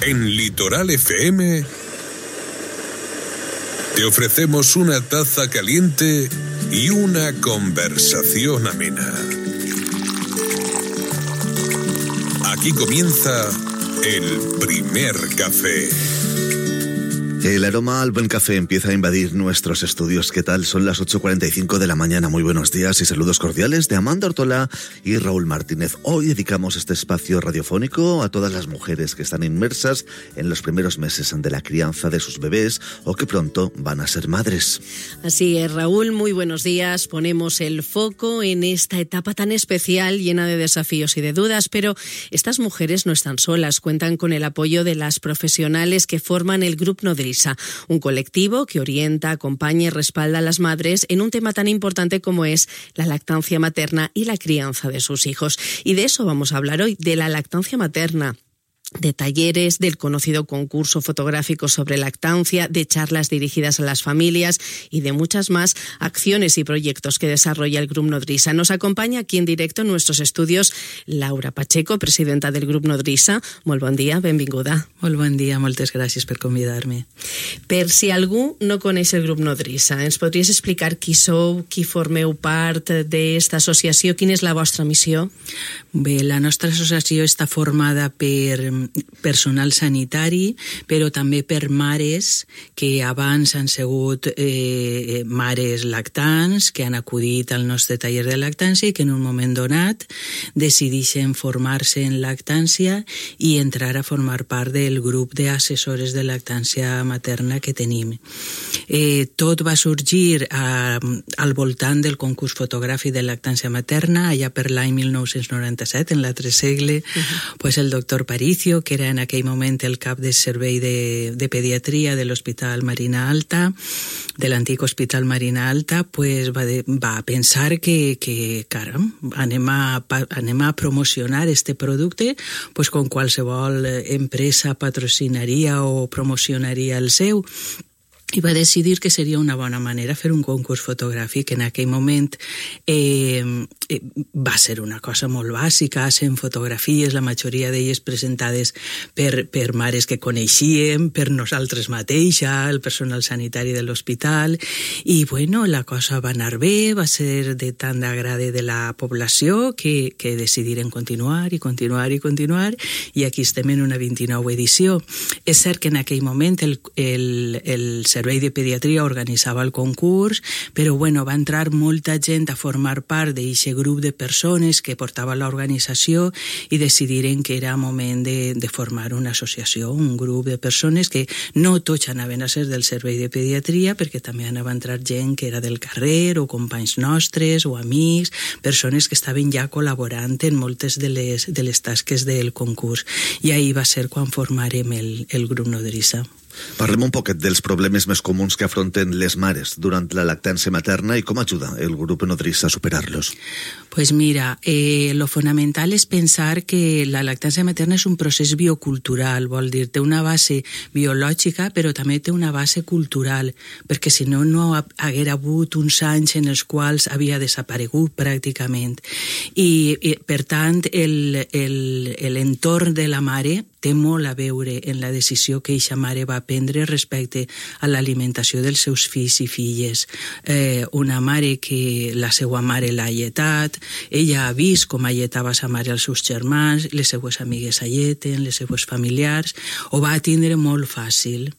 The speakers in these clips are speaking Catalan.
En Litoral FM te ofrecemos una taza caliente y una conversación amena. Aquí comienza el primer café. El aroma al buen café empieza a invadir nuestros estudios. ¿Qué tal? Son las 8:45 de la mañana. Muy buenos días y saludos cordiales de Amanda Ortola y Raúl Martínez. Hoy dedicamos este espacio radiofónico a todas las mujeres que están inmersas en los primeros meses de la crianza de sus bebés o que pronto van a ser madres. Así es, Raúl, muy buenos días. Ponemos el foco en esta etapa tan especial, llena de desafíos y de dudas, pero estas mujeres no están solas. Cuentan con el apoyo de las profesionales que forman el Grup Nodrissa, un colectivo que orienta, acompaña y respalda a las madres en un tema tan importante como es la lactancia materna y la crianza de sus hijos. Y de eso vamos a hablar hoy, de la lactancia materna, de talleres, del conocido concurso fotográfico sobre lactancia, de charlas dirigidas a las familias y de muchas más acciones y proyectos que desarrolla el Grup Nodrissa. Nos acompaña aquí en directo en nuestros estudios Laura Pacheco, presidenta del Grup Nodrissa. Molt bon dia, benvinguda. Molt bon dia, moltes gràcies per convidar-me. Per si algú no coneix el Grup Nodrissa, ens podries explicar qui sou, qui formeu part d'esta associació, quina és la vostra missió? Bé, la nostra associació està formada per personal sanitari, però també per mares que abans han sigut mares lactants, que han acudit al nostre taller de lactància i que en un moment donat decideixen formar-se en lactància i entrar a formar part del grup d'assessores de lactància materna que tenim. Tot va sorgir al voltant del concurs fotogràfic de lactància materna, allà per l'any 1997, en l'altre segle, pues el doctor Paricio, que era en aquell moment el cap del servei de pediatria de l'Hospital Marina Alta, de l'antic Hospital Marina Alta, pues va pensar que caram, anem a promocionar este producte, pues com qualsevol empresa patrocinaria o promocionaria el seu, i va decidir que seria una bona manera fer un concurs fotogràfic. En aquell moment va ser una cosa molt bàsica, sent fotografies, la majoria d'elles presentades per mares que coneixíem, per nosaltres mateixa, el personal sanitari de l'hospital, i bueno, la cosa va anar bé, va ser de tant d'agrade de la població que decidiren continuar, i aquí estem en una 29 edició. És cert que en aquell moment el Servei de Pediatria organitzava el concurs, però bueno, va entrar molta gent a formar part d'aquest grup de persones que portava l'organització i decidiren que era moment de formar una associació, un grup de persones que no tots anaven a ser del Servei de Pediatria, perquè també anava a entrar gent que era del carrer o companys nostres o amics, persones que estaven ja col·laborant en moltes de les tasques del concurs. I ahir va ser quan formarem el Grup Nodrissa. Parlem un poquet dels problemes més comuns que afronten les mares durant la lactància materna i com ajuda el Grup Nodrissa a superar-los. Pues mira, lo fonamental és pensar que la lactància materna és un procés biocultural, vol dir, té una base biològica, però també té una base cultural, perquè si no, no haguera hagut uns anys en els quals havia desaparegut pràcticament. I per tant, l'entorn de la mare té molt a veure en la decisió que eixa mare va prendre respecte a l'alimentació dels seus fills i filles. Una mare que la seva mare l'ha alletat, ella ha vist com alletava sa mare als seus germans, les seues amigues alleten, les seues familiars, ho va tindre molt fàcil.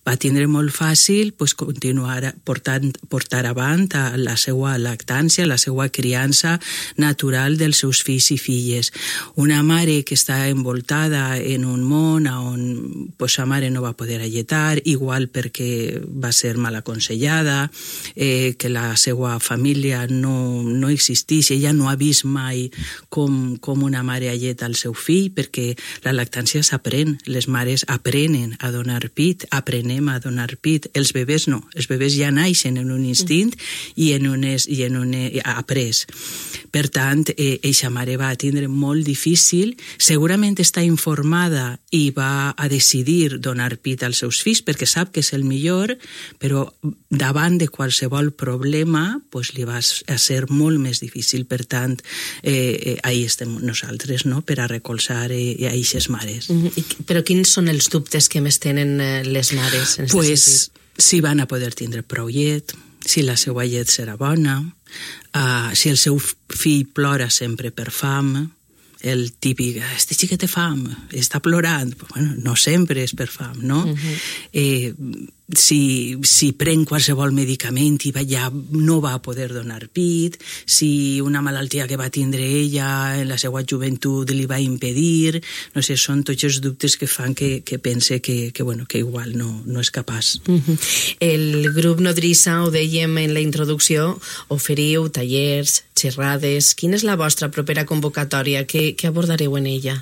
Va tindre molt fàcil continuar portar avant la seva lactància, la seva criança natural dels seus fills i filles. Una mare que està envoltada en un món on sa mare no va poder alletar, igual perquè va ser mal aconsellada, que la seva família no existeix, ella no ha vist mai com una mare alleta al seu fill, perquè la lactància s'aprèn, les mares aprenen a donar pit, aprenem anem a donar pit. Els bebès no, els bebès ja naixen en un instint i en un après. Per tant, eixa mare va tindre molt difícil, segurament està informada i va a decidir donar pit als seus fills perquè sap que és el millor, però davant de qualsevol problema pues, li va a ser molt més difícil. Per tant, ahí estem nosaltres, no?, per a recolzar a eixes mares. Però quins són els dubtes que més tenen les mares? Pues, si van a poder tindre prou llet, si la seva llet serà bona, si el seu fill plora sempre per fam, el típic, este xiquet té fam, està plorant. Bueno, no sempre és per fam, no? Si pren qualsevol medicament i ja no va poder donar pit, si una malaltia que va tindre ella en la seva joventut li va impedir, no sé, són tots els dubtes que fan que pense que igual no és capaç. El grup Nodrissa, ho dèiem en la introducció, oferiu tallers, xerrades. Quina és la vostra propera convocatòria? Què abordareu en ella?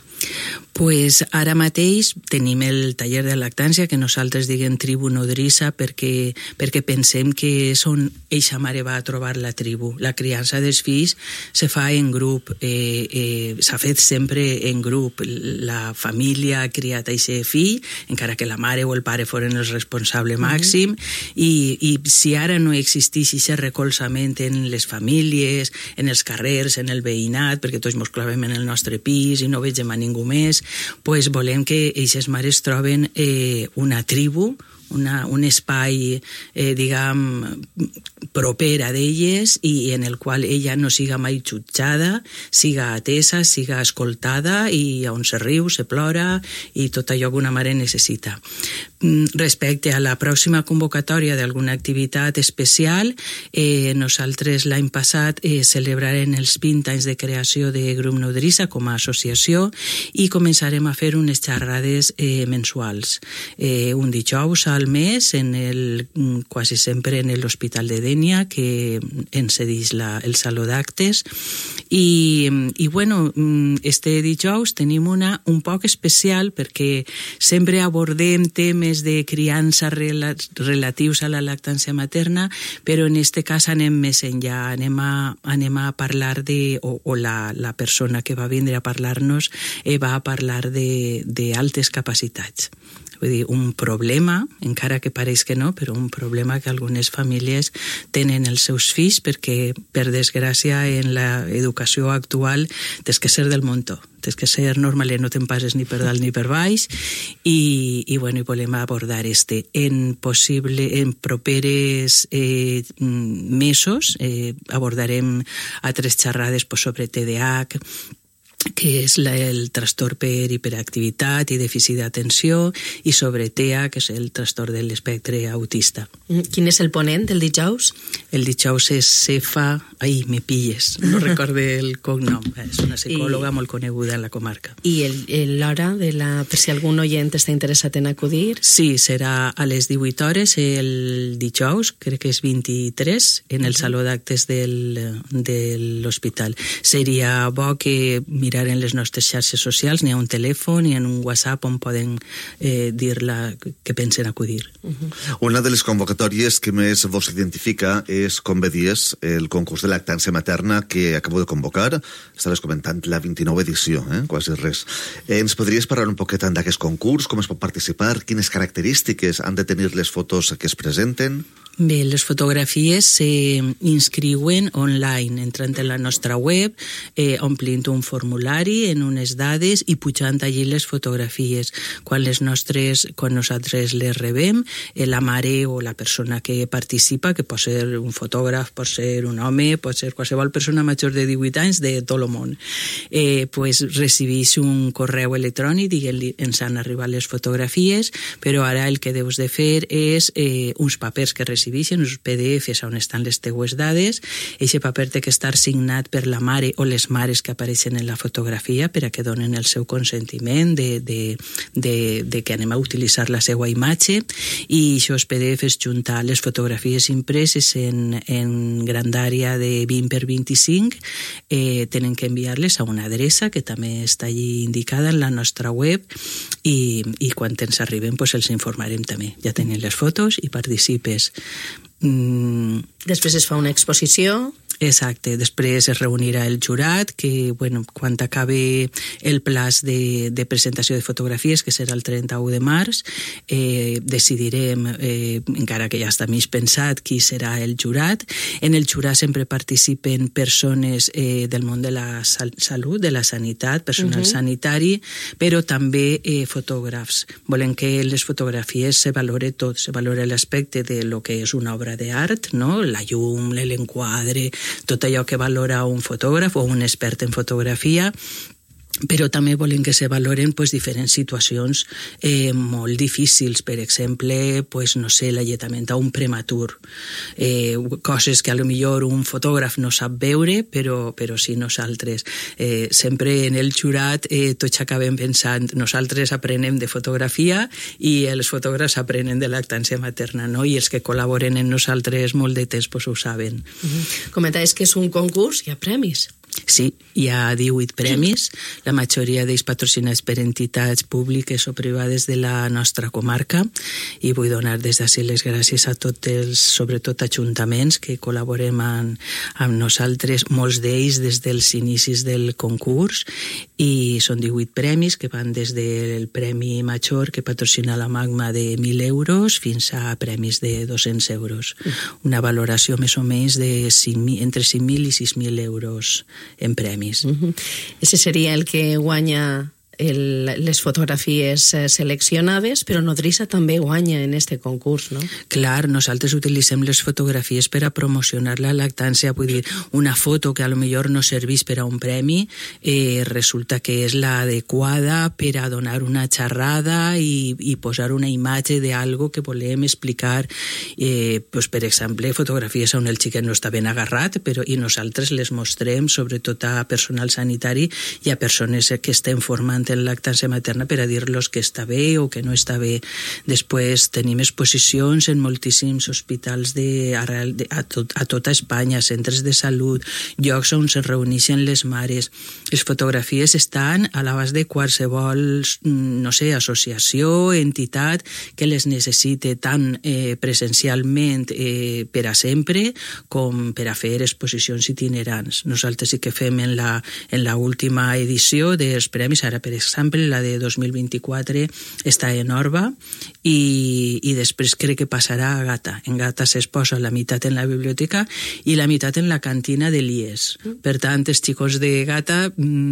Pues ara mateix tenim el taller de lactància que nosaltres diguem tribu nodrissa perquè pensem que és on eixa mare va a trobar la tribu. La criança dels fills se fa en grup, s'ha fet sempre en grup. La família ha criat eixe fill, encara que la mare o el pare foren el responsable màxim, i si ara no existís aquest recolzament en les famílies, en els carrers, en el veïnat, perquè tots mos clavem en el nostre pis i no vegem a ningú més, pues volem que eixes mares troben una tribu, un espai, diguem, proper a d'elles i en el qual ella no siga mai jutjada, siga atesa, siga escoltada i on se riu, se plora i tot allò que una mare necessita. Respecte a la pròxima convocatòria d'alguna activitat especial, nosaltres l'any passat celebrarem els 20 anys de creació de Grup Nodrissa com a associació i començarem a fer unes xerrades mensuals. Un dijous al mes, quasi sempre en l'Hospital de Dénia, que ens cedeix el saló d'actes. I bueno, este dijous tenim una un poc especial perquè sempre abordem temes de criança relatius a la lactància materna, però en este cas anem més enllà, anem a parlar o la persona que va vindre a parlar-nos va a parlar d'altes capacitats. Vull dir, un problema, encara que pareix que no, però un problema que algunes famílies tenen els seus fills perquè, per desgràcia, en l'educació actual tens que ser del muntó, tens que ser normal, no te'n passes ni per dalt ni per baix i volem abordar en properes mesos abordarem altres xerrades sobre TDAH, que és el trastorn per hiperactivitat i dèficit d'atenció, i sobre TEA, que és el trastorn de l'espectre autista. Quin és el ponent del dijous? El dijous és Cefa... Ai, me pilles, no recorde el cognom. És una psicòloga molt coneguda en la comarca. I l'hora, per si algun oient està interessat en acudir? Sí, serà a les 18 hores el dijous, crec que és 23, en el saló d'actes de l'hospital. Seria bo que mirar en les nostres xarxes socials, n'hi ha un telèfon i en un WhatsApp on poden dir-la que pensen acudir. Una de les convocatòries que més vos identifica és, com bé dies, el concurs de lactància materna que acabo de convocar. Estaves comentant la 29 edició, quasi res. Ens podries parlar un poquet d'aquest concurs, com es pot participar, quines característiques han de tenir les fotos que es presenten? Bé, les fotografies s'inscriuen online, entrant en la nostra web, omplint un formulari en unes dades i pujant allí les fotografies. Quan nosaltres les rebem, la mare o la persona que participa, que pot ser un fotògraf, pot ser un home, pot ser qualsevol persona major de 18 anys de tot el món, recibeix un correu electrònic i ens han arribat les fotografies, però ara el que deus de fer és uns papers que recibeix recibeixen, uns PDFs on estan les teues dades. Eixe paper té que estar signat per la mare o les mares que apareixen en la fotografia per a que donen el seu consentiment de que anem a utilitzar la seva imatge, i aquests PDFs juntar les fotografies impreses en grandària de 20 per 25 tenen que enviar-les a una adreça que també està allí indicada en la nostra web, i quan ens arriben pues els informarem també. Ja tenen les fotos i participes. Després es fa una exposició. Exacte, després es reunirà el jurat, que quan acabi el plaç de presentació de fotografies, que serà el 31 de març, decidirem, encara que ja està mig pensat, qui serà el jurat. En el jurat sempre participen persones del món de la salut, de la sanitat, personal sanitari, però també fotògrafs. Volem que les fotografies se valore tot, se valore l'aspecte de lo que és una obra d'art, no? La llum, l'enquadre, tot allò que valora un fotògraf o un expert en fotografia, però també volem que se valoren diferents situacions molt difícils, per exemple, l'alletament a un prematur, coses que a lo millor un fotògraf no sap veure, però sí nosaltres. Sempre en el jurat tots acabem pensant, nosaltres aprenem de fotografia i els fotògrafs aprenen de lactància materna, no? I els que col·laboren en nosaltres molt de temps ho saben. Comentaves que és un concurs, hi ha premis. Sí, hi ha 18 premis, la majoria d'ells patrocinats per entitats públiques o privades de la nostra comarca, i vull donar des d'ací les gràcies a tots els, sobretot ajuntaments, que col·laborem amb nosaltres, molts d'ells des dels inicis del concurs, i són 18 premis que van des del premi major que patrocina la Magma de 1.000 euros fins a premis de 200 euros. Una valoració més o menys de entre 5.000 i 6.000 euros en premis. Ese seria el que guanya les fotografies seleccionades, però Nodrissa també guanya en este concurs, no? Clar, nosaltres utilitzem les fotografies per a promocionar la lactància, vull dir, una foto que a lo millor no serveix per a un premi, resulta que és l'adequada per a donar una xerrada i posar una imatge d'algo que volem explicar, per exemple, fotografies on el xiquet no està ben agarrat, i nosaltres les mostrem sobretot a personal sanitari i a persones que estem formant en lactància materna per a dir-los que està bé o que no està bé. Després tenim exposicions en moltíssims hospitals a tota Espanya, centres de salut, llocs on se reuneixen les mares. Les fotografies estan a l'abast de qualsevol, associació, entitat que les necessite tant presencialment per a sempre com per a fer exposicions itinerants. Nosaltres sí que fem en la última edició dels premis, ara per exemple, la de 2024 està en Orba i després crec que passarà a Gata. En Gata s'exposa la meitat en la biblioteca i la meitat en la cantina de l'IES. Per tant, els xicos de Gata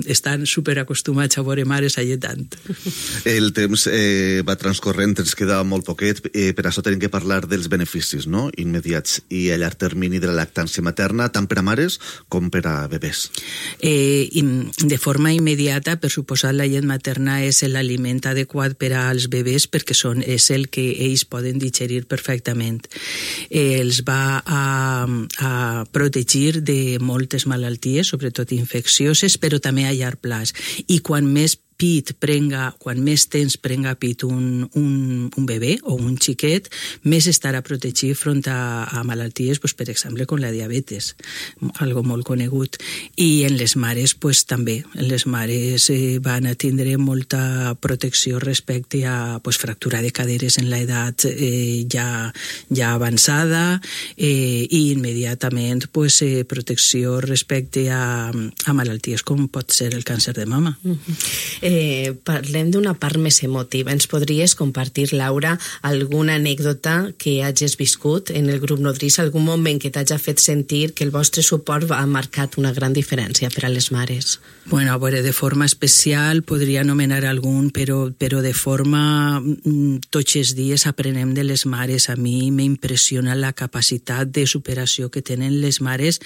estan superacostumats a veure mares alletant. El temps va transcorrent, ens queda molt poquet, per això tenim que parlar dels beneficis, no?, immediats i a llarg termini de la lactància materna, tant per a mares com per a bebès. De forma immediata, per suposar, la llet materna és l'aliment adequat per als bebès perquè és el que ells poden digerir perfectament. Els va a protegir de moltes malalties, sobretot infeccioses, però també a llarg plaç. I quan més temps prenga pit un bebè o un xiquet, més estarà protegit front a malalties, per exemple, com la diabetes, algo molt conegut. I en les mares, també. Les mares van a tindre molta protecció respecte a fractura de caderes en l'edat ja avançada i immediatament protecció respecte a malalties com pot ser el càncer de mama. Parlem d'una part més emotiva. Ens podries compartir, Laura, alguna anècdota que hagis viscut en el grup Nodrissa, algun moment que t'hagi fet sentir que el vostre suport ha marcat una gran diferència per a les mares? Bueno, a veure, de forma especial podria anomenar algun, però de forma tots els dies aprenem de les mares. A mi m'impressiona la capacitat de superació que tenen les mares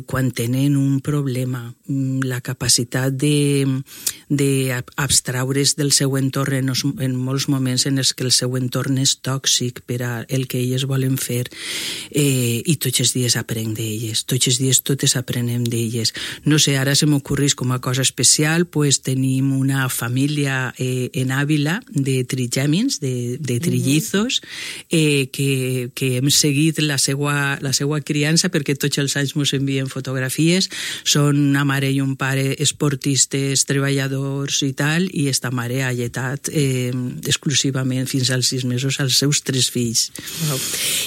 quan tenen un problema, la capacitat de abstraure's del seu entorn en molts moments en els que el seu entorn és tòxic per a el que elles volen fer, i tots els dies aprenc d'elles, tots els dies totes aprenem d'elles. No sé, ara se m'ocorreix com a cosa especial, pues tenim una família en Àvila de trigèmins, de trillizos, que hem seguit la seva criança perquè tots els anys ens envien fotografies. Són una mare i un pare esportistes, treballadors i tal, i esta mare ha alletat exclusivament fins als 6 mesos als seus 3 fills. Wow.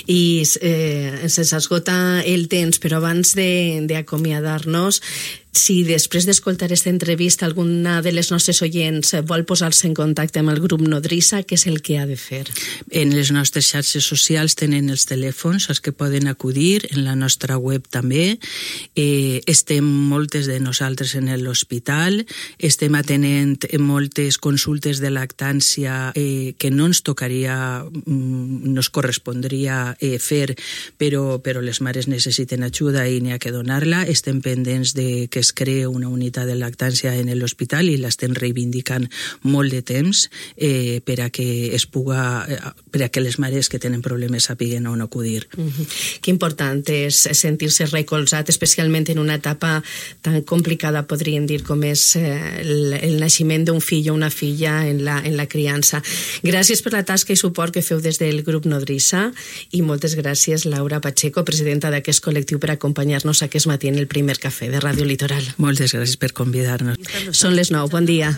I se'ns esgota el temps, però abans d'acomiadar-nos, si després d'escoltar aquesta entrevista alguna de les nostres oients vol posar-se en contacte amb el grup Nodrissa, què és el que ha de fer? En les nostres xarxes socials tenen els telèfons als que poden acudir, en la nostra web també. Estem moltes de nosaltres en l'hospital, estem atenent moltes consultes de lactància que no ens tocaria, no es correspondria fer, però les mares necessiten ajuda i n'hi ha que donar-la. Estem pendents de que es crea una unitat de lactància en l'hospital i l'estem reivindicant molt de temps per a que les mares que tenen problemes sàpiguen on acudir. Que important és sentir-se recolzat, especialment en una etapa tan complicada, podríem dir, com és el naixement d'un fill o una filla en la criança. Gràcies per la tasca i suport que feu des del grup Nodrissa, i moltes gràcies, Laura Pacheco, presidenta d'aquest col·lectiu, per acompanyar-nos aquest matí en el primer cafè de Ràdio Litoral. Moltes gràcies per convidar-nos. Són les 9, bon dia.